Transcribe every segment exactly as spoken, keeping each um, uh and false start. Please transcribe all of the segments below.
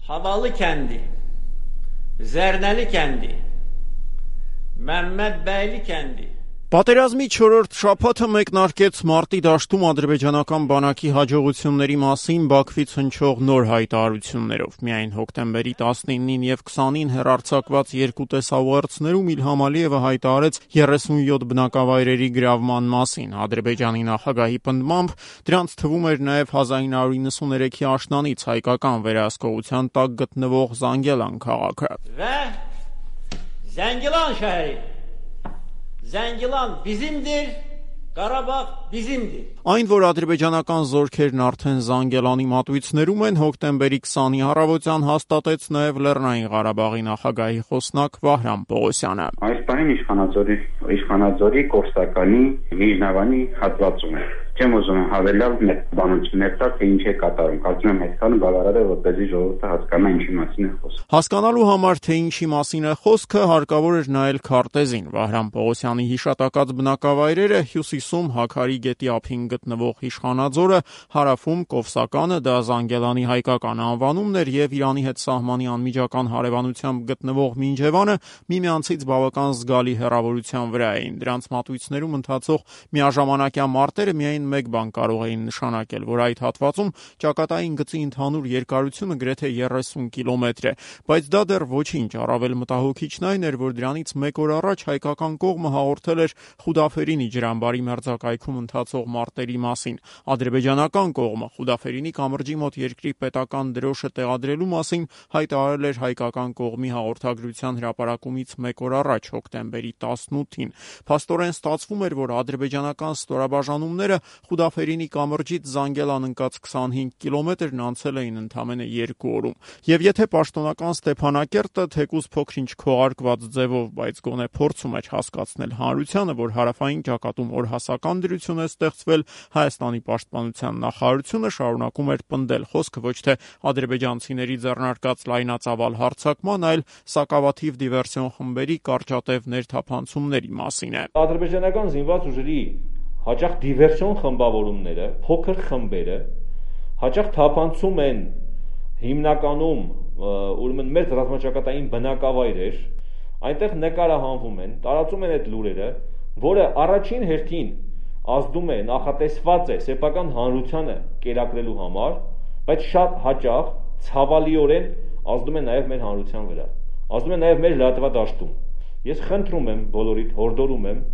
Havalı kendi, Zerneli kendi, Mehmet Beyli kendi. Պատերազմի չորրորդ շաբաթը մեկնարկեց մարտի դաշտում ադրբեջանական բանակի հաջողությունների մասին Բաքվից հնչող նոր հայտարարություններով։ Միայն հոկտեմբերի տասնինին եւ քսանին հեռարձակված երկու տեսաուղերձներում Իլհամ Ալիևը հայտարարեց երեսունյոթ բնակավայրերի գրավման մասին։ Ադրբեջանի նախագահի պնդմամբ դրանց թվում էր նաեւ հազար ինը հարյուր իննսուներեքի աշնանից հայկական վերահսկողության տակ գտնվող Զանգելան քաղաքը։ Ve Zengilan şehri. Zengilan bizimdir, Qarabağ bizimdir. Այն, որ ադրբեջանական զորքերն արդեն Զանգելանի մատույցներում են, հոկտեմբերի քսանի առավոտյան հաստատեց նաև Լեռնային Ղարաբաղի նախագահի խոսնակ Վահրամ Պողոսյանը։ Այս պահին իշխանաձորի իշխանաձորի Կովսականի Վիժնավանի հատվածում է։ Չեմ ուզում հավելալ մեր բանություններ տա, թե ինչ է կատարում։ Կարծում եմ այսքանը բավարար է, որպեսզի ժողովուրդը հասկանա ինչի մասին է խոսքը։ Հասկանալու համար, թե ինչի մասին է խոսքը, հարկավոր էր նայել քարտեզին։ Վահրամ Պողոսյանի հիշատակած բնակավայրերը հյուսիսում Հաքարի գետի ափին գտնվող Իշխանաձորը, հարավում Կովսականը, դա Զանգելանի հայկական անվանումն էր, եւ Իրանի հետ սահմանի անմիջական հարևանությամբ գտնվող Մինջևանը միմյանցից բավական զգալի հեռավորության վրա էին։ Դրանց մատույցներում ընթացող միաժամանակյա մարտերը միայն մեկ բան կարող էին նշանակել, որ այդ հատվածում ճակատային գծի ընդհանուր երկարությունը գրեթե երեսուն կիլոմետր է, բայց դա դեռ ոչինչ, առավել մտահոգիչն այն էր, որ դրանից մեկ օր առաջ հայկական կողմը հաղորդել էր Խուդաֆերինի ջրամբարի մերձակայքում ընթացող մարտերի մասին։ Ադրբեջանական կողմը Խուդաֆերինի կամրջի մոտ երկրի պետական դրոշը տեղադրելու մասին հայտարարել էր հայկական կողմի հաղորդագրության հրապարակումից մեկ օր առաջ, հոկտեմբերի տասնութին։ Փաստորեն ստացվում էր, որ ադրբեջանական ստորաբաժանումները Խուդաֆերինի կամրջից Զանգելան ընկած քսանհինգ կիլոմետրն անցել էին ընդամենը երկու օրում։ Եվ եթե պաշտոնական Ստեփանակերտը թեկուզ փոքրինչ քողարկված ձևով, բայց գոնե փորձում էր հասկացնել հանրությանը, որ հարավային ճակատում օրհասական դրություն է ստեղծվել, Հայաստանի պաշտպանության նախարարությունը շարունակում էր պնդել խոսքը ոչ թե ադրբեջանցիների ձեռնարկած լայնածավալ հարձակման, այլ սակավաթիվ դիվերսիոն խմբերի կարճատև ներթափանցումների մասին է։ Ադրբեջանական զինված ուժերի հաճախ դիվերսիոն խմբավորումները, փոքր խմբերը հաճախ թափանցում են հիմնականում ուրեմն մեր ռազմաճակատային բնակավայրեր, այնտեղ նկարահանվում են, տարածում են այդ լուրերը, որը առաջին հերթին ազդում է, նախատեսված է սեփական հանրությանը կերակրելու համար, բայց շատ հաճախ ցավալիորեն ազդում է նաև մեր հանրության վրա, ազդում է նաև մեր լրատվադաշտում։ Ես խնդրում եմ բոլորիդ, հորդորում եմ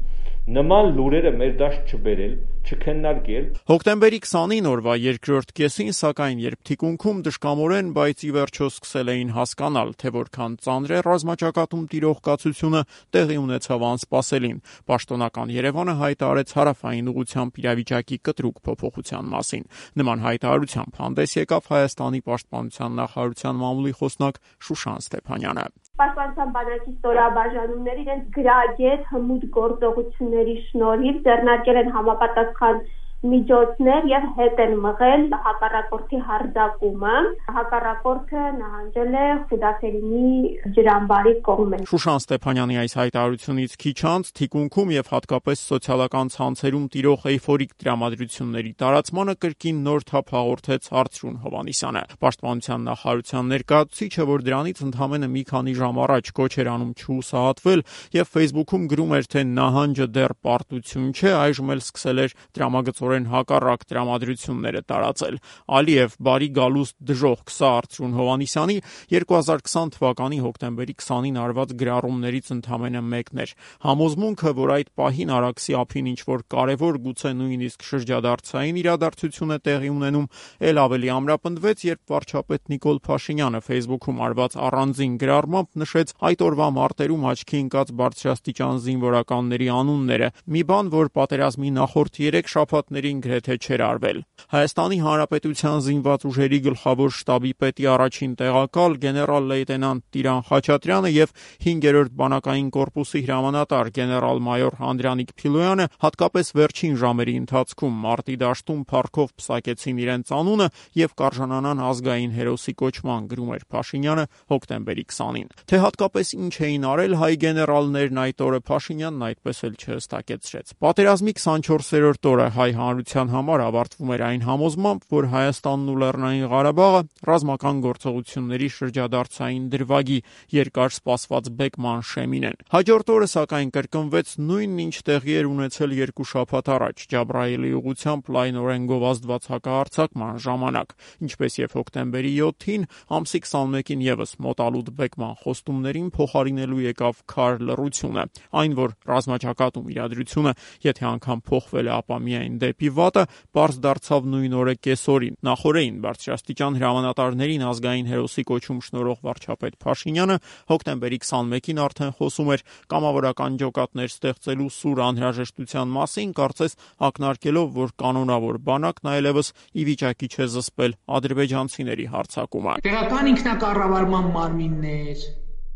նման լուրերը մեր դաշտ չբերել, չքննարկել։ Հոկտեմբերի քսանին օրվա երկրորդ կեսին, սակայն երբ թիկունքում դժկամորեն, բայց ի վերջո սկսել էին հասկանալ, թե որքան ծանր է ռազմաճակատում տիրող կացությունը, տեղի ունեցավ անսպասելին։ Պաշտոնական Երևանը հայտարարեց հարավային ուղղությամբ իրավիճակի կտրուկ փոփոխության մասին։ Նման հայտարարությամբ հանդես եկավ Հայաստանի պաշտպանության նախարարության մամուլի խոսնակ Շուշան Ստեփանյանը։ Պաշտպանության բանակի ստորաբաժանումները իրենց գրագետ հմուտ գործողությունների շնորհիվ ձեռնարկել են համապատասխան միջոցներ եւ հետ են մղել հակառակորդի հարձակումը։ Հակառակորդը նահանջել է Խուդաֆերինի ջրամբարի կողմեն։ Շուշան Ստեփանյանի այս հայտարարությունից քիչ անց թիկունքում եւ հատկապես սոցիալական ցանցերում տիրող էյֆորիկ տրամադրությունների տարածմանը կրկին նոր թափ հաղորդեց Արծրուն Հովհաննիսյանը։ Պաշտպանության նախարարության ներկայացուցիչը, որ դրանից ընդամենը մի քանի ժամ առաջ կոչ էր անում չհուսահատվել եւ Facebook-ում գրում էր, թե նահանջը դեռ պարտություն չէ, այժմ էլ սկսել էր դրամագծորեն հակառակ տրամադրությունները տարածել։ Ալիև բարի գալուստ դժոխք սա Արծրուն Հովհաննիսյանի երկու հազար քսան թվականի հոկտեմբերի քսանին արված գրառումներից ընդամենը մեկն էր։ Համոզմունքը, որ այդ պահին Արաքսի ափին ինչ-որ կարևոր, գուցե նույնիսկ շրջադարձային իրադարձություն է տեղի ունենում, ել ավելի ամրապնդվեց, երբ վարչապետ Նիկոլ Փաշինյանը Facebook-ում արված առանձին գրառմամբ նշեց այդ օրվա մարտերում աչքի ընկած բարձրաստիճան զինվորականների անունները, մի բան, որ պատերազմի նախորդ երեք շաբաթներին գրեթե չէր արվել։ Հայաստանի Հանրապետության զինված ուժերի գլխավոր շտաբի պետի առաջին տեղակալ գեներալ-լեյտենանտ Տիրան Խաչատրյանը եւ հինգերորդ բանակային կորպուսի հրամանատար գեներալ-մայոր Անդրանիկ Փիլոյանը հատկապես վերջին ժամերի ընթացքում մարտի դաշտում փառքով պսակեցին իրենց անունը եւ կարժանանան ազգային հերոսի կոչման, գրում էր Փաշինյանը հոկտեմբերի քսանին։ Թե հատկապես ինչ էին արել հայ գեներալներն այդ օրը, Փաշինյանն այդպես էլ չհստակեցրեց։ Պատերազմի քսանչորսերորդ օրը հայ ծանրության համար ավարտվում էր այն համոզմամբ, որ Հայաստանն ու Լեռնային Ղարաբաղը ռազմական գործողությունների շրջադարձային դրվագի երկար սպասված բեկման շեմին են։ Հաջորդ օրը սակայն կրկնվեց նույնն ինչ տեղի էր ունեցել երկու շաբաթ առաջ Ջաբրայելի ուղղությամբ լայնորեն գովազդված հակահարձակման ժամանակ, ինչպես եւ հոկտեմբերի յոթին, ամսի քսանմեկին եւս մոտալուտ բեկման խոստումներին փոխարինելու եկավ քար լռությունը, այն որ ռազմաճակատում իրադրությունը, եթե անգամ փոխվել է, ապա միայն դեպի վատը, պարզ դարձավ նույն օրը կեսօրին։ Նախորդին բարձրաստիճան հրամանատարներին ազգային հերոսի կոչում շնորհող վարչապետ Փաշինյանը հոկտեմբերի քսանմեկին արդեն խոսում էր կամավորական ջոկատներ ստեղծելու սուր անհրաժեշտության մասին, կարծես ակնարկելով, որ կանոնավոր բանակն այլևս ի վիճակի չէ զսպել ադրբեջանցիների հարձակումը։ Տեղական ինքնակառավարման մարմիններ,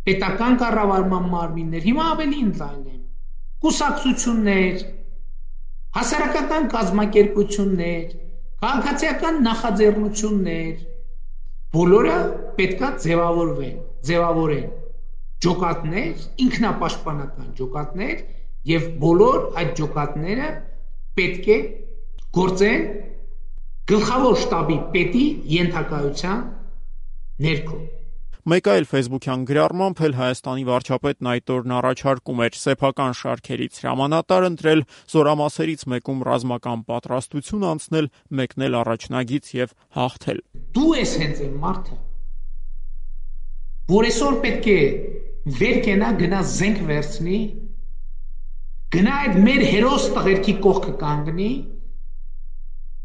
պետական կառավարման մարմիններ, հիմա ավելի ընդլայնեն, կուսակցություններ, հասարակական կազմակերպություններ, քաղաքացիական նախաձեռնություններ, բոլորը պետքա ձևավորվեն, ձևավորեն ջոկատներ, ինքնապաշտպանական ջոկատներ եւ բոլոր այդ ջոկատները պետք է գործեն գլխավոր շտաբի պետի ենթակայության ներքո։ Մեկ այլ ֆեյսբուքյան գրառմամբ էլ Հայաստանի վարչապետն այդ օրն առաջարկում էր սեփական շարքերից հրամանատար ընտրել, զորամասերից մեկում ռազմական պատրաստություն անցնել, մեկնել առաջնագից եւ հաղթել։ Դու ես հենց այն մարդը, որ այսօր պետք է վեր կենա, գնա զենք վերցնի, գնա այդ մեր հերոս տղերքի կողքը կանգնի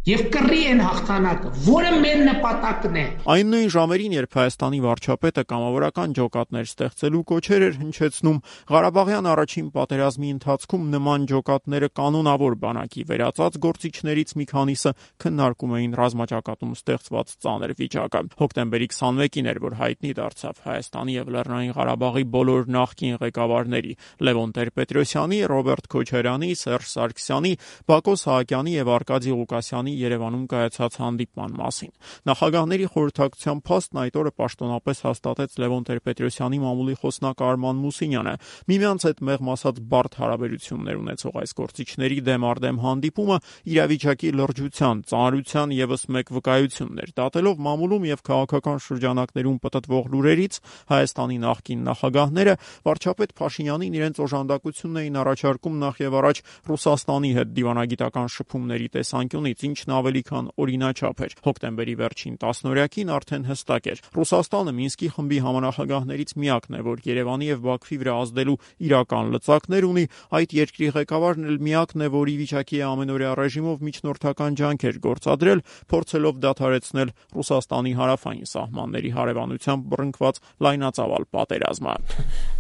եւ կռի են հաղթանակը, որը մեր նպատակն է։ Այն նույն ժամերին, երբ Հայաստանի վարչապետը կամավորական ջոկատներ ստեղծելու կոչեր էր հնչեցնում, Ղարաբաղյան առաջին պատերազմի ընթացքում նման ջոկատները կանոնավոր բանակի վերածած գործիչներից մի քանիսը քննարկում էին ռազմաճակատում ստեղծված ծանր վիճակը։ Հոկտեմբերի քսանմեկին էր, որ հայտնի դարձավ Հայաստանի եւ Լեռնային Ղարաբաղի բոլոր նախկին ղեկավարների՝ Լևոն Տեր-Պետրոսյանի, Ռոբերտ Քոչարյանի, Սերժ Սարգսյանի, Բակո Սահակյանի եւ Արկադի Ղուկասյանի Երևանում կայացած հանդիպման մասին։ Նախագահների խորհրդակցության փաստն այդ օրը պաշտոնապես հաստատեց Լևոն Տեր-Պետրոսյանի մամուլի խոսնակ Արման Մուսինյանը։ Միմյանց հետ մեղմ ասած բարդ հարաբերություններ ունեցող այս գործիչների դեմ առ դեմ հանդիպումը իրավիճակի լրջության, ծանրության եւս մեկ վկայությունն էր, դատելով մամուլում եւ քաղաքական շրջանակներում պտտվող լուրերից Հայաստանի նախկին նախագահները վարչապետ Փաշինյանին իրենց օժանդակությունն էին առաջարկում նախ եւ առաջ Ռուսաստանի հետ դիվանագիտական շփումների տեսանկյունից, ինչն ավելի քան օրինաչափ էր։ Հոկտեմբերի վերջին տասնօրյակին արդեն հստակ էր. Ռուսաստանը Մինսկի խմբի համանախագահներից միակն է, որ Երևանի եւ Բաքվի վրա ազդելու իրական լծակներ ունի, այդ երկրի ղեկավարն էլ միակն է, որ ի վիճակի է ամենօրյա ռեժիմով միջնորդական ջանքեր գործադրել, փորձելով դադարեցնել Ռուսաստանի հարավային սահմանների հարևանությամբ բռնկված լայնածավալ պատերազմը։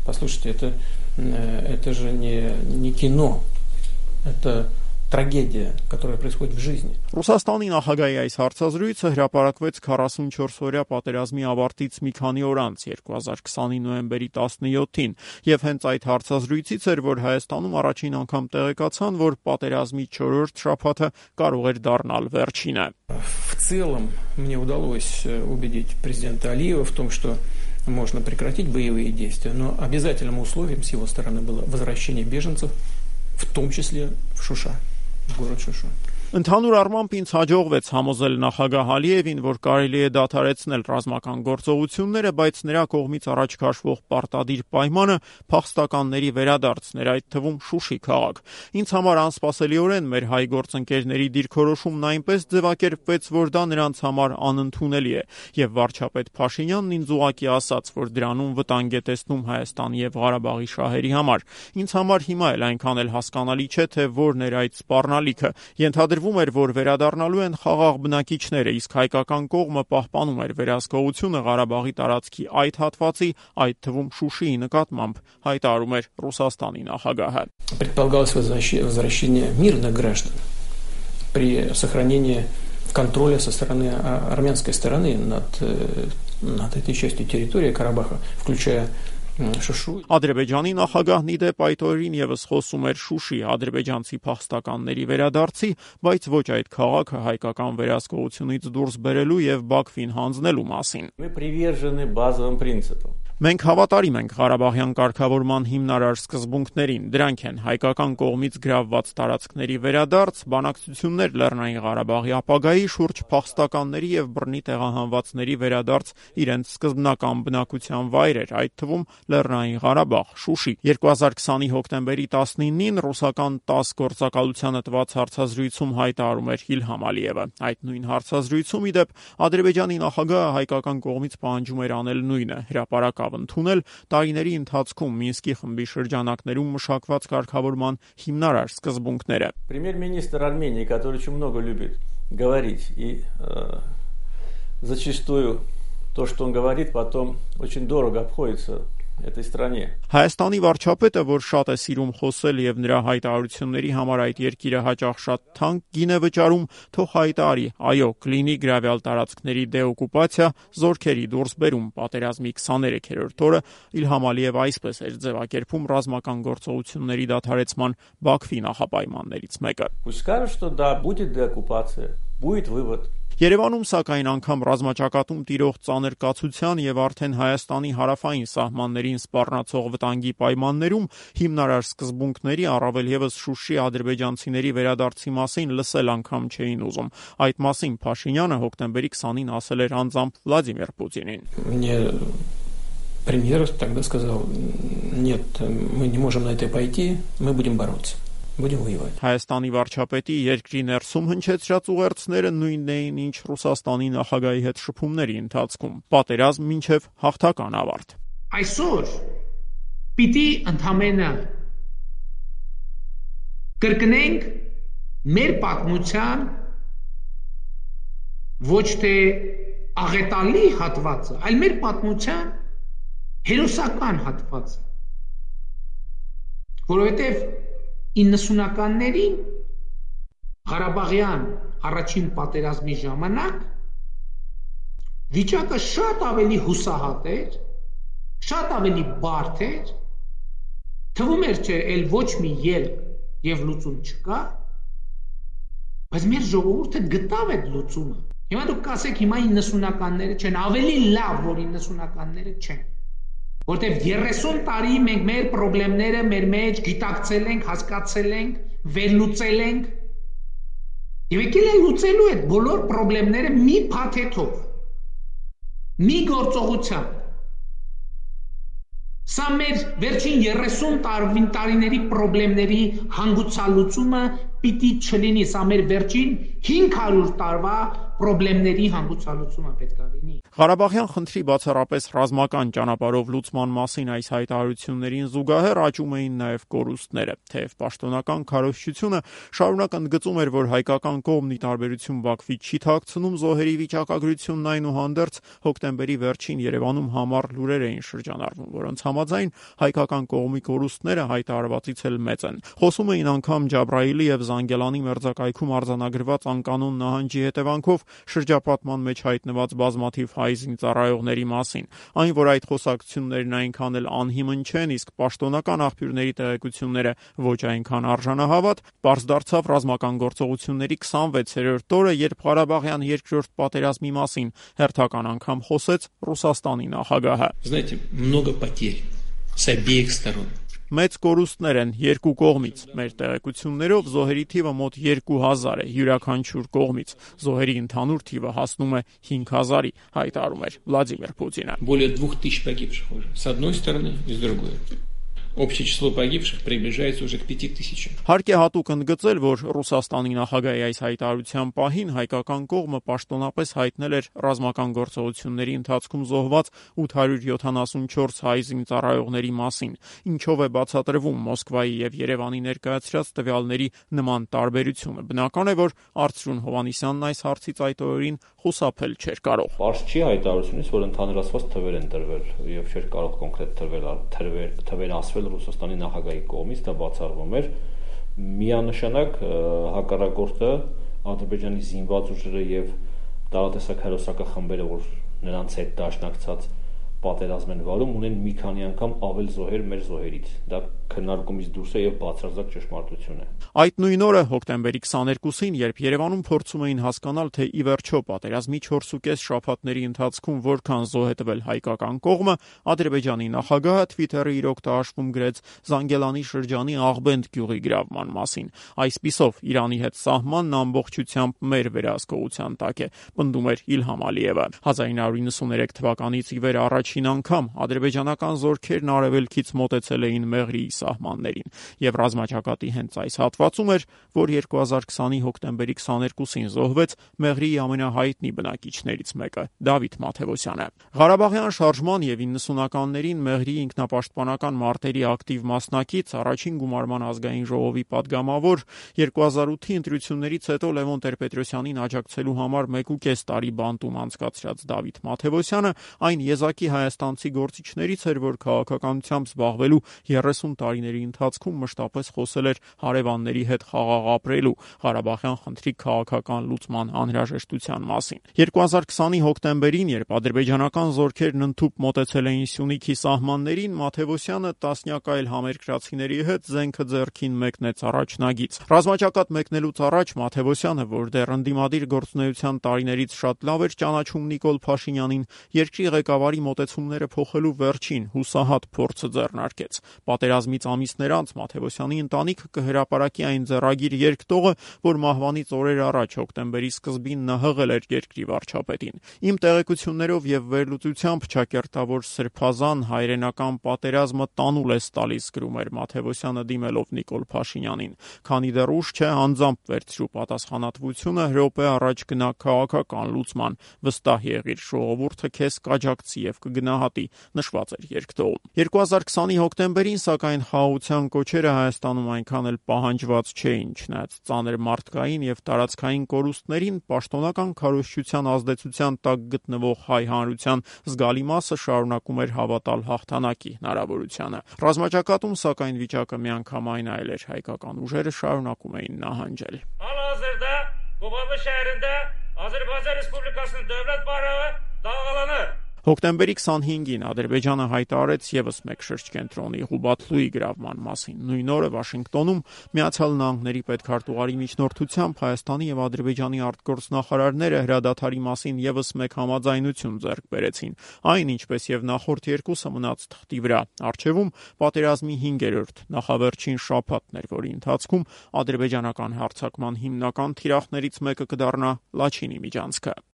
Послушайте, это это же не не кино. Это трагедия, которая происходит в жизни. Ռուսաստանի նախագահի այս հարցազրույցը հրապարակվեց քառասունչորս-օրյա պատերազմի ավարտից մի քանի օր անց երկու հազար քսանի նոյեմբերի տասնյոթին, եւ հենց այդ հարցազրույցից էր, որ Հայաստանում առաջին անգամ տեղեկացան, որ պատերազմի չորրորդ շաբաթը կարող էր դառնալ վերջինը։ В целом мне удалось убедить президента Алиева в том, что можно прекратить боевые действия, но обязательным условием с его стороны было возвращение беженцев, в том числе в Шуша, в город Шуша. Ընդհանուր առմամբ ինձ հաջողվեց համոզել նախագահ Ալիևին, որ կարելի է դադարեցնել ռազմական գործողությունները, բայց նրա կողմից առաջ քաշվող պարտադիր պայմանը փախստականների վերադարձն էր, այդ թվում Շուշի քաղաք։ Ինձ համար անսպասելիորեն մեր հայ գործընկերների դիրքորոշումն այնպես ձևակերպվեց, որ դա նրանց համար անընդունելի է, եւ վարչապետ Փաշինյանն ինձ ուղղակի ասաց, որ դրանում վտանգ է տեսնում Հայաստանի եւ Ղարաբաղի շահերի համար։ Ինձ համար հիմա էլ այնքան էլ հասկանալի չէ, թե որն էր այդ սպառնալիքը։ Ենթադրվում էր, որ վերադառնալու են խաղաղ բնակիչները, իսկ հայկական кողմը պահպանում էր վերահսկողությունը Ղարաբաղի տարածքի այդ հատվածի, այդ թվում Շուշիի накатмամբ, հայտարարում էր Ռուսաստանի նախագահը։ Предполагалось возвращение мирных граждан при сохранении контроля со стороны армянской стороны над над этой частью территории Карабаха, включая Ադրբեջանի նախագահն ի դեպ այդ օրերին եւս խոսում էր Շուշի ադրբեջանցի փախստականների վերադարձի, բայց ոչ այդ քաղաքը հայկական վերահսկողությունից դուրս բերելու եւ Բաքվին հանձնելու մասին։ Мы привержены базовым принципам. Մենք հավատարիմ ենք Ղարաբաղյան կարգավորման հիմնարար սկզբունքներին, դրանք են հայկական կողմից գրավված տարածքների վերադարձ, բանակցություններ Լեռնային Ղարաբաղի ապագայի շուրջ, փախստականների եւ բռնի տեղահանվածների վերադարձ իրենց սկզբնական բնակության վայրեր, այդ թվում Լեռնային Ղարաբաղ, Շուշի։ երկու հազար քսանի հոկտեմբերի տասնինին ռուսական տաս գործակալությանը տված հարցազրույցում հայտարարում էր Իլհամ Ալիևը։ Այդ նույն հարցազրույցում ի դեպ Ադրբեջանի նախագահը հայկական կողմից պահանջում էր անել նույնը՝ հրապարակավ ընդունել տարիների ընթացքում Մինսկի խմբի շրջանակներում մշակված կարգավորման հիմնարար սկզբունքները։ Премьер-министр Армении, который очень много любит говорить, и э, зачастую то, что он говорит, потом очень дорого обходится этой стране. Հայաստանի վարչապետը, որ շատ է սիրում խոսել եւ նրա հայտարարությունների համար այդ երկիրը հաճախ շատ թանկ գին է վճարում, թող հայտարարի, այո, կլինի գրավյալ տարածքների դեօկուպացիա, զորքերի դուրսբերում, պատերազմի քսաներեքերորդ օրը Իլհամ Ալիևը այսպես էր ձևակերպում ռազմական գործողությունների դադարեցման Բաքվի նախապայմաններից մեկը։ Пусть скажут, что да, будет деоккупация, будет вывод. Երևանում սակայն անգամ ռազմաճակատում տիրող ծանր կացության եւ արդեն Հայաստանի հարավային սահմաններին սպառնացող վտանգի պայմաններում հիմնարար սկզբունքների, առավել եւս Շուշի ադրբեջանցիների վերադարձի մասին լսել անգամ չէին ուզում։ Այդ մասին Փաշինյանը հոկտեմբերի քսանին ասել էր անձամբ Վլադիմիր Պուտինին։ Мне премьер тогда сказал: "Нет, мы не можем на это пойти, мы будем бороться. Будем воевать". Հայաստանի վարչապետի երկրի ներսում հնչեցրած ուղերձները նույնն էին, ինչ Ռուսաստանի նախագահի հետ շփումների ընթացքում։ Պատերազմ մինչև հաղթական ավարտ։ Այսօր պիտի ընդհանրապես կրկնենք մեր պատմության ոչ թե աղետալի հատվածը, այլ մեր պատմության հերոսական հատվածը, որովհետև իննսունականներին Ղարաբաղյան առաջին պատերազմի ժամանակ վիճակը շատ ավելի հուսահատ էր, շատ ավելի բարդ էր, թվում էր չէ, էլ ոչ մի ելք եւ լուծում չկա, բայց մեր ժողովուրդը գտավ այդ լուծումը։ Հիմա դուք կասեք, հիմա իննսունականները չեն, ավելի լավ, որ իննսունականները չեն, որտեվ երեսուն տարի մենք մեր խնդիրները մեր մեջ գիտակցել ենք, հասկացել ենք, վերլուծել ենք եւ եկել են լուծելու այդ բոլոր խնդիրները մի փաթեթով, մի գործողությամբ։ Սա մեր վերջին երեսուն տարիների խնդիրների հանգուցալուծումը պիտի չլինի, սա մեր վերջին հինգ հարյուր տարվա խնդիրների հանգուցալուծումը պետք է լինի։ Ղարաբաղյան խնդրի բացառապես ռազմական ճանապարհով լուծման մասին այս հայտարարություններին զուգահեռ աճում էին նաև կորուստները, թեև պաշտոնական քարոզչությունը շարունակ ընդգծում էր, որ հայկական կողմն ի տարբերություն Բաքվի չի թաքցնում զոհերի վիճակագրությունն, այնուհանդերձ հոկտեմբերի վերջին Երևանում համառ լուրեր էին շրջանառվում, որոնց համաձայն հայկական կողմի կորուստները հայտարարվածից էլ մեծ են։ Խոսում էին անգամ Ջաբրայիլի եւ Զանգելանի մերձակայքում արձանագրված անկանոն նահանջի հետևանքով շրջապատման մեջ հայտնված բազմաթիվ հայ զինծառայողների մասին։ Այն, որ այդ խոսակցություններն այնքան էլ անհիմն չեն, իսկ պաշտոնական աղբյուրների տեղեկությունները ոչ այնքան արժանահավատ, պարզ դարձավ ռազմական գործողությունների քսանվեցերորդ օրը, երբ Ղարաբաղյան երկրորդ պատերազմի մասին հերթական անգամ խոսեց Ռուսաստանի նախագահը։ Знаете, много потерь с обеих сторон. Մեծ կորուստներ են երկու կողմից։ Մեր տեղեկություններով զոհերի թիվը մոտ երկու հազար է յուրաքանչյուր կողմից։ Զոհերի ընդհանուր թիվը հասնում է հինգ հազարի, հայտարարում էր Վլադիմիր Պուտինը։ Более двух тысяч погибших уже. С одной стороны и с другой. Общее число погибших приближается уже к пяти тысячам. Հարկ է հատուկ ընդգծել, որ Ռուսաստանի նախագահի այս հայտարարության պահին հայկական կողմը պաշտոնապես հայտնել էր ռազմական գործողությունների ընթացքում զոհված ութ հարյուր յոթանասունչորս հայ զինծառայողների մասին, ինչով է բացատրվում Մոսկվայի եւ Երևանի ներկայացրած տվյալների նման տարբերությունը։ Բնական է, որ Արծրուն Հովհաննիսյանն այս հարցից այդ օրերին խուսափել չէր կարող։ Պարզ չի հայտարարությունից, որ ընդհանրացված թվեր են տրվել եւ չէր կարող կոնկրետ թվեր թվեր թվեր ասվել Ռուսաստանի նախագահի կողմից, դա բացառվում էր միանշանակ հակառակորդը Ադրբեջանի զինված ուժերը եւ տարատեսակ հերոսական խմբերը, որ նրանց հետ դաշնակցած պատերազմ են վարում, ունեն մի քանի անգամ ավել զոհեր մեր զոհերից։ Դա քննարկումից դուրս է եւ բացարձակ ճշմարտություն է։ Այդ նույն օրը հոկտեմբերի քսաներկուսին, երբ Երևանում փորձում էին հասկանալ, թե ի վերջո պատերազմի չորսուկես շաբաթների ընթացքում որքան զոհ է տվել հայկական կողմը, Ադրբեջանի նախագահը Twitter-ը իր օգտահաշվում գրեց Զանգելանի շրջանի Աղբենդ գյուղի գրավման մասին։ Այսպիսով Իրանի հետ սահմանն ամբողջությամբ մեր վերահսկողության տակ է, պնդում էր Իլհամ Ալիևը։ հազար ինը հարյուր նվաթ թվականից ի վեր առաջին անգամ ադրբեջանական զորքերն արևելքից մոտեցել էին Մեղրիի սահմաններին, եւ ռազմաճակատի հենց այս հատվածում էր, որ երկու հազար քսանի հոկտեմբերի քսաներկուսին զոհվեց Մեղրիի ամենահայտնի բնակիչներից մեկը՝ Դավիթ Մաթևոսյանը։ Ղարաբաղյան շարժման եւ իննսունականներին Մեղրիի ինքնապաշտպանական մարտերի ակտիվ մասնակից, առաջին գումարման ազգային ժողովի падգամավոր, երկու հազար ութի ընտրություններից հետո Լևոն Տեր-Պետրոսյանին աջակցելու համար մեկ ու կես տարի բանտում անցկացրած Դավիթ Մաթևոսյանը այն եզակի հայաստանցի գործիչներից էր, որ քաղաքականությամբ զբաղվելու երեսուն տարիների ընթացքում մշտապես խոսել էր հարևանների հետ խաղաղ ապրելու, Ղարաբաղյան խնդրի քաղաքական լուծման անհրաժեշտության մասին։ երկու հազար քսանի հոկտեմբերին, երբ ադրբեջանական զորքերն ընդհուպ մոտեցել էին Սյունիքի սահմաններին, Մաթևոսյանը տասնյակ այլ համերկրացիների հետ զենքը ձեռքին մեկնեց առաջնագիծ։ Ռազմաճակատ մեկնելուց առաջ Մաթևոսյանը, որ դեռ ընդդիմադիր գործունեության տարիներից շատ լավ էր ճանաչում Նիկոլ Փաշինյանին, երկրի ղեկավարի մոտեցումները փոխելու վերջին հուսահատ փորձը ձեռնարկեց։ Պատերազմից ամիսներ անց Մաթևոսյանի ընտանիքը կհրապարակի այն ձեռագիր երկտողը, որ մահվանից օրեր առաջ հոկտեմբերի սկզբին նա հղել էր երկրի վարչապետին։ Իմ տեղեկություններով եւ վերլուծությամբ ճակերտավոր սրբազան հայրենական պատերազմը տանուլ է տալիս, գրում էր Մաթևոսյանը դիմելով Նիկոլ Փաշինյանին։ Քանի դեռ ուշ չէ, անձամբ վերցրու պատասխանատվությունը, րոպե առաջ գնա քաղաքական լուծման, վստահ եղիր, ժողովուրդը քեզ կաջակցի եւ կգնահատի, նշված էր երկտողում։ երկու հազար քսանի հոկտեմբերին, սակայն, խաղաղության կոչերը Հայաստանում այնքան էլ պահանջված չէին, չնայած ծանր մարդկային եւ տարածքային կորուստներին, պաշտոնական քարոզչության ազդեցության տակ գտնվող հայ հանրության զգալի մասը շարունակում էր հավատալ հաղթանակի հնարավորությանը։ Ռազմաճակատում, սակայն, վիճակը միանգամայն այլ էր, հայկական ուժերը շարունակում էին նահանջել։ Hal-hazırda Qobalı şehrində Azərbaycan Respublikasının dövlət bayrağı dalğalanır. Հոկտեմբերի քսանհինգին Ադրբեջանը հայտարարեց եւս մեկ շրջկենտրոնի Ղուբաթլուի գրավման մասին։ Նույն օրը Վաշինգտոնում Միացյալ Նահանգների պետքարտուղարի միջնորդությամբ Հայաստանի եւ Ադրբեջանի արտգործնախարարները հրադադարի մասին եւս մեկ համաձայնություն ձեռք բերեցին։ Այն, ինչպես եւ նախորդ երկուսը, մնաց թղթի վրա։ Առջևում պատերազմի հինգերորդ նախավերջին շաբաթն էր, որի ընթացքում ադրբեջանական հարձակման հիմնական թիրախներից մեկը կդառնա Լաչինի միջանցքը։